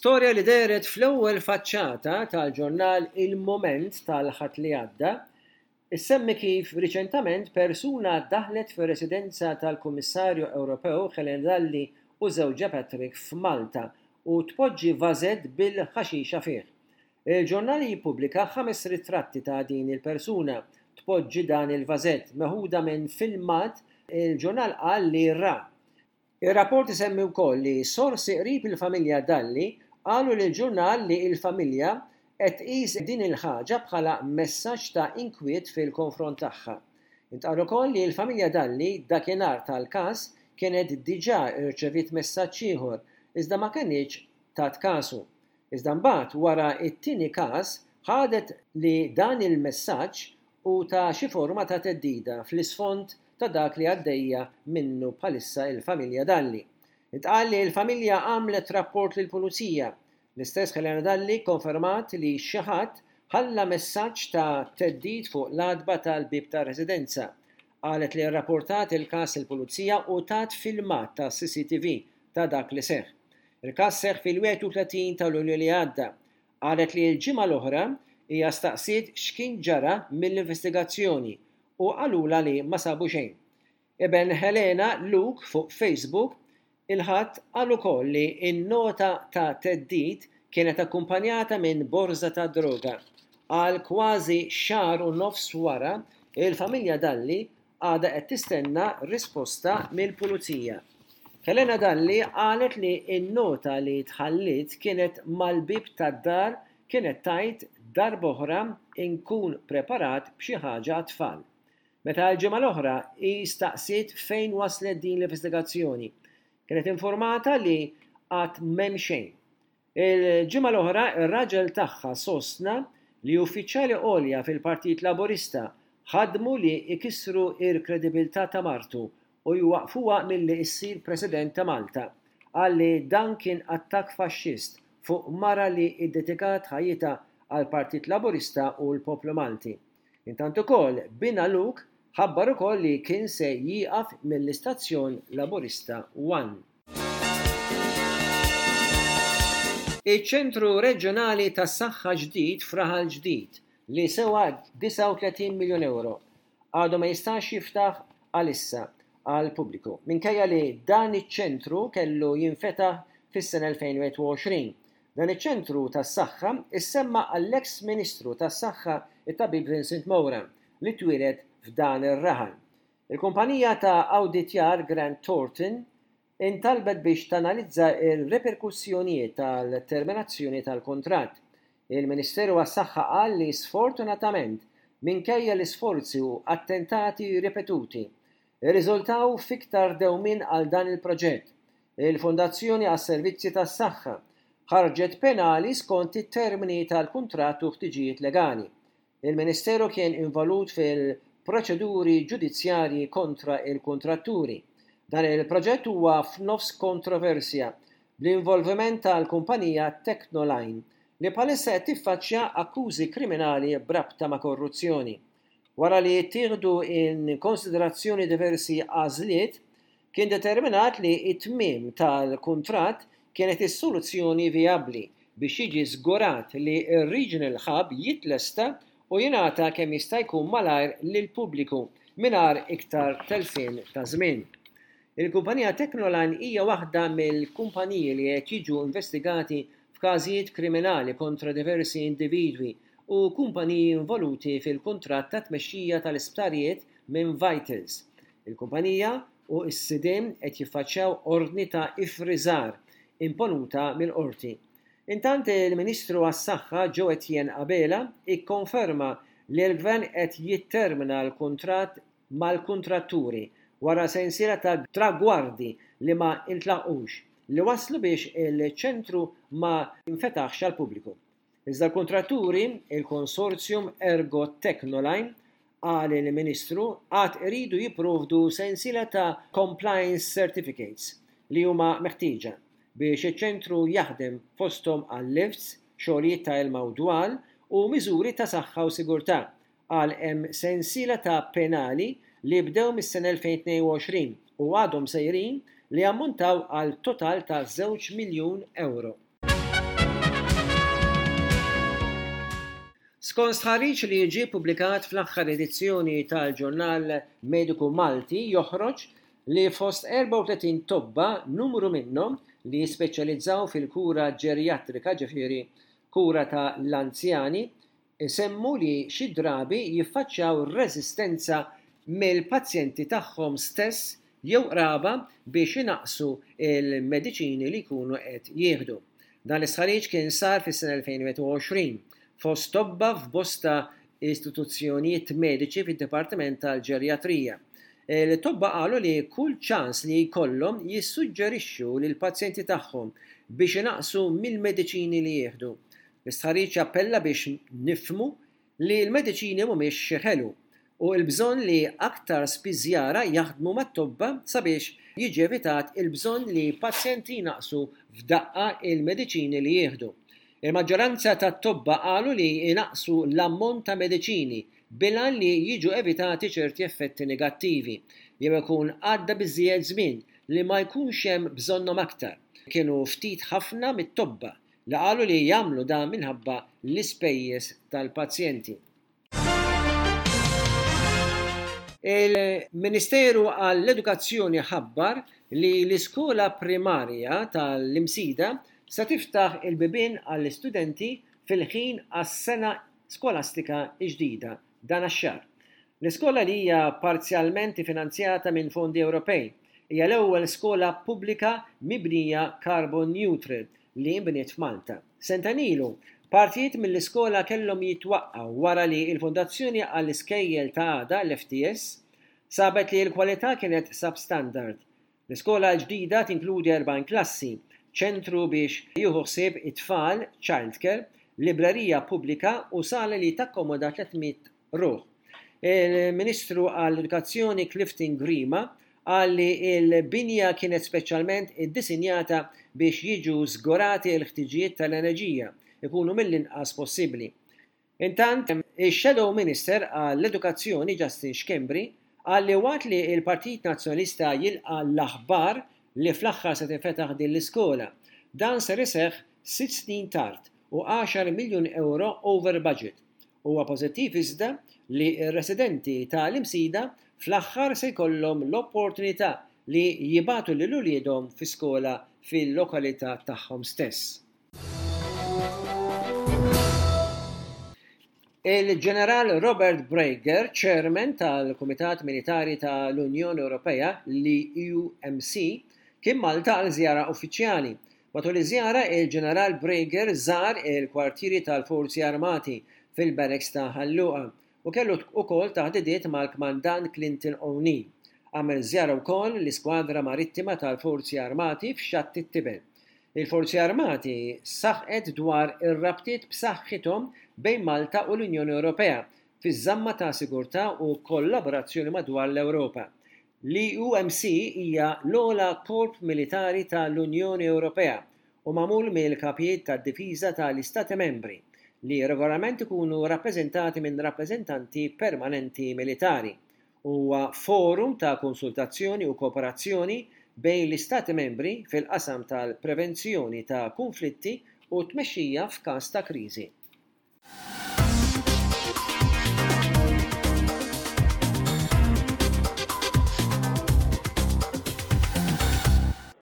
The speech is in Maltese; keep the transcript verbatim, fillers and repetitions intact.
Storja li dehret fl-ewwel faċċata tal-ġurnal Il-Mument tal-Ħadd li għadda issemmi kif riċentament persuna daħlet fir-residenza tal-Kummissarju Ewropew Helena Dalli u żewġha Patrick f'Malta u tpoġġi vażett bil-ħaxixa fih. Il-ġurnal jippubblika ħames ritratti ta' din il-persuna tpoġġi dan il-vażett meħuda minn filmat il-ġurnal qal li ra. Ir-rapport isemmi wkoll li sorsi qrib il-familja Dalli qalu lill-ġurnal li l-familja qed tqis din il-ħaġa bħala messaġġ ta' inkwiet fil-konfront tagħha. Intqal ukoll li l-familja Dalli dakinhar tal-każ kienet diġà rċeviet messaġġ ieħor iżda ma kinitx tat kasu. Iżda mbagħad wara t-tieni każ ħadet li dan il-messaġġ hu ta' xi forma ta' theddida fl-isfond ta' dak li għaddejja minnu bħalissa il-familja Dalli. Intqal li l-familja għamlet rapport lill-pulizija. L-istess Helena Dalli konfermat li xi ħadd ħalla messaġġ ta' theddid fuq l-għatba tal-bieb tar-residenza. Qalet li rrapportat il-każ il-pulizija u tat filmat ta' C C T V ta' dak li seħħ. Il-każ seħħ fil-wieħed u tletin ta' Lulju li għadda. Qalet li l-ġimgħa l-oħra hija staqsiet x'kien ġara mill-investigazzjoni u qalula li ma sabu xejn. Iben Helena, Luke, fuq Facebook il-Ħadd qal ukoll li n-nota ta' theddid kienet akkumpanjata minn borza ta' droga. Għal kważi xahar u nofs wara, il-familja Dalli għadha qed tistenna risposta mill-pulizija. Helena Dalli qalet li n-nota li tħallit kienet mal-bib tad-dar kienet tgħid "Darb'oħra inkun preparat b'xi ħaġa għat-tfal." Meta l-ġimgħa l-oħra hi staqsiet fejn waslet din l-investigazzjoni, kienet informata li għad m'hemm xejn. Il-ġimgħa l-oħra ir-raġel tagħha sostna li uffiċjali għolja fil-Partit Laburista ħadmu li ikissru il-kredibilità ta' martu u jwaqfuha milli issir President ta' Malta. Qal li dan kien attakk faxxist fuq mara li iddedikat ħajjitha għal Partit Laburista u l-poplu Malti. Intant ukoll binha Luke ħabbar ukoll li kien se jieqaf mill-istazzjon Laburista One. Iċ-ċentru reġjonali tas-saħħa ġdid f'Raħal Ġdid li sewa disgħa u tletin miljun euro għadu ma jistax jiftaħ għalissa għal pubbliku. Minkejja li dan iċ-ċentru kellu jinfetaħ fis-sena elfejn u wieħed u għoxrin. Dan iċ-ċentru tas-saħħa issemma għall-eks Ministru tas-Saħħa, it-Tabib Vincent Moura, li twieled f'dan ir-raħal. Il-kumpanija ta' awditjar Grant Thornton intalbet biex tanalizza il-reperkussjonijiet tal-terminazzjoni tal-kontratt. Il-Ministeru għas-Saħħa qal li sfortunatament, minkejja l-isforzi u attentati ripetuti, irriżultaw fiktar dewmien għal dan il-proġett. Il-Fondazzjoni għas-Servizzi tas-Saħħa ħarġet penali skont it-termini tal-kuntratt u ħtiġijiet legali. Il-Ministeru kien involut fil-proċeduri ġudizzjarji kontra il-kontratturi. Dan il-proġett huwa f'nofs kontroversja bl-involviment tal-kumpanija Technoline li bħalissa qed tiffaċċja akkużi kriminali b'rabta ma' korruzzjoni. Wara li jittieħdu in konsiderazzjoni diversi għażliet, kien determinat li it-tmiem tal-kuntratt kienet is-soluzzjoni vijabbli biex jiġi żgurat li r-Regional Hub jitlesta u jingħata kemm jista' jkun malajr lill-pubbliku mingħajr iktar telfien ta' żmien. Il-kumpanija Technoline hija waħda mill-kumpaniji li qed jiġu investigati f'każijiet kriminali kontra diversi individwi u kumpaniji involuti fil-kuntratt ta' tmexxija tal-isptarijiet minn Vitals. Il-kumpanija u s-sidien qed jiffaċċjaw ordni ta' ifriżar imponuta mill-qorti. Intant il-Ministru għas-Saħħa Jo Etienne Abela ikkonferma li l-Gvern qed jittermina l-kuntratt mal-kontratturi wara sensiela ta' tragwardi li ma intlaqux li waslu biex il-ċentru ma jinfetaħx għal pubbliku. Iżda l-kontratturi, il-konsorzjum Ergo Technoline, qal il-Ministru, għad iridu jipprovdu sensiela ta' compliance certificates li huma meħtieġa biex iċ-ċentru jaħdem, fosthom għal lifts, xogħlijiet ta' ilma u dwal u miżuri ta' saħħa u sigurtà. Qal hemm sensiela ta' penali li bdew mis-sena elfejn u tnejn u għoxrin u għadhom sejrin li ammontaw għal total ta' żewġ miljun euro. Skont stħarriġ li ġie ppubblikat fl-aħħar edizzjoni tal-ġurnal Mediku Malti joħroġ li fost erbgħa u tletin tobba numru minnhom li jispeċjalizzaw fil-kura ġerjatrika, ġifieri kura ta' l-anzjani, isemmu li xi drabi jiffaċċjaw reżistenza mill-pazjenti tagħhom stess jew qraba biex inaqqsu l-mediċini li jkunu qed jieħdu. Dan l-istħarriġ kien sar fis-sena elfejn u wieħed u għoxrin fost tobba f'bosta istituzzjonijiet mediċi fid-Dipartiment tal-Ġerjatrija. Il-tobba qalu li kull ċans li jkollhom jissuġġerixxu lill-pazjenti tagħhom biex inaqqsu mill-mediċini li jieħdu. L-istħarriġ appella biex nifhmu li l-mediċini mhumiex xi ħelu u l-bżonn li aktar spiżjara jaħdmu mat-tobba sabiex jiġi evitat il-bżonn li pazjenti jnaqqsu f'daqqa il-mediċini li jieħdu. Il-maġġoranza tat-tobba qalu li jnaqqsu l-ammont ta' mediċini bil-għan li jiġu evitati ċerti effetti negattivi jew ikun għadda biżżejjed żmien li ma jkunx hemm bżonnhom aktar. Kienu ftit ħafna mit-tobba li qalu li jagħmlu dan minħabba l-ispejjeż tal-pazjenti. Il-Ministeru għall-Edukazzjoni ħabbar li l-iskola primarja tal-Imsida se tiftaħ il-bibien għall-istudenti fil-ħin għas-sena skolastika ġdida dan ix-xahar. L-iskola li hija parzjalment finanzjata minn fondi Ewropej hija l-ewwel skola pubblika mibnija carbon neutral li nbniet f'Malta. Sentejn ilu, partijiet mill-iskola kellhom jitwaqqgħu wara li l-Fondazzjoni għall-Iskejjel ta' Għada, l-F T S, sabet li l-kwalità kienet substandard. L-iskola l-ġdida tinkludi erbgħin klassi, ċentru biex jieħu ħsieb it-tfal, childcare, librerija pubblika u sala li takkomoda tliet mitt ruħ. Il-Ministru għall-Edukazzjoni Clifton Grima qal li l-binja kienet speċjalment iddisinjata biex jiġu żgurati l-ħtiġijiet tal-enerġija ikunu mill-inqas possibbli. Intant, ix-Shadow Minister għall-Edukazzjoni Justin Schembri qal li waqt li l-Partit Nazzjonalista jilqa' l-aħbar li fl-aħħar se tinfetaħ din l-iskola, dan ser iseħħ sitt snin tard u għaxar miljun euro over budget. Huwa pożittiv iżda li r-residenti tal-Imsida fl-aħħar se jkollhom l-opportunità li jibagħtu lil uliedhom fi skola fil-lokalità tagħhom stess. Il-Ġeneral Robert Brieger, Chairman tal-Kumitat Militari tal-Unjoni Ewropea, l-E U M C, kien Malta għal żjara uffiċjali. Matul iż-żjara, il-Ġeneral Brieger żar il-kwartieri tal-Forzi Armati fil-Barracks ta' Ħal Luqa u kellu wkoll taħdidiet mal-Kmandant Clinton O'Neill. Għamel żjara wkoll l-Iskwadra Marittima tal-Forzi Armati f'Xatt it-Tiben. Il-Forzi Armati saħqet dwar ir-rabtiet b'saħħithom bejn Malta u l-Unjoni Ewropea fiż-żamma ta' sigurtà u kollaborazzjoni madwar l-Ewropa. L-E U M C hija l-ogħla korp militari tal-Unjoni Ewropea u magħmul mill-kapijiet tad-difiża tal-Istati Membri li regolarment ikunu rappreżentati minn rappreżentanti permanenti militari. Huwa forum ta' konsultazzjoni u kooperazzjoni bejn l-Istati Membri fil-qasam tal-prevenzjoni ta' konflitti u tmexxija f'każ ta' kriżi.